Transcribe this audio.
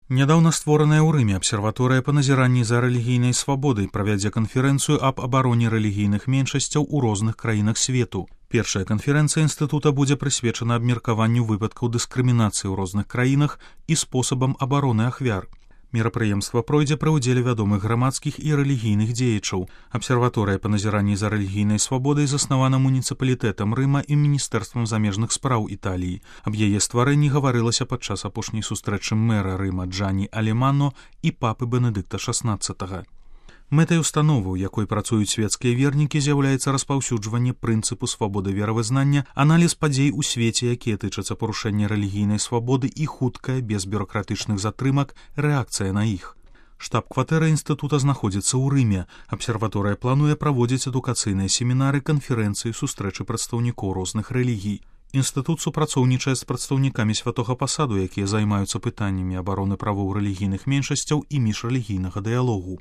Нядаўна створаная ў Рыме абсерваторыя па назіранні за рэлігійнай свабодай правядзе канферэнцыю аб абароне рэлігійных меншасцяў у розных краінах свету. Першая канферэнцыя інстытута будзе прысвечана абмеркаванню выпадкаў дыскрымінацыі ў розных краінах і спосабам абароны ахвяр. Мерапрыемства пройдзе пры ўдзеле вядомых грамадскіх і рэлігійных дзеячаў. Абсерваторыя па назіранні за рэлігійнай свабодай заснавана муніцыпалітэтам Рыма і міністэрствам замежных спраў Італіі. Аб яе стварэнні гаварылася падчас апошняй сустрэчы мэра Рыма Джані Алемано і папы Бенедыкта XVI. Мэтай установы, у якой працуюць светскія вернікі, з'яўляецца распаўсюджванне прынцыпу свабоды веравызнання, аналіз падзей у свеце, якія тычацца парушэння рэлігійнай свабоды і хуткая, без бюракратычных затрымак, рэакцыя на іх. Штаб-кватэра інстытута знаходзіцца ў Рыме. Абсерваторыя плануе праводзіць адукацыйныя семінары, канферэнцыі, сустрэчы прадстаўнікоў розных рэлігій. Інстытут супрацоўнічае з прадстаўнікамі святога пасаду, якія займаюцца пытаннямі абароны правоў рэлігійных меншасцяў і міжрэлігійнага дыялогу.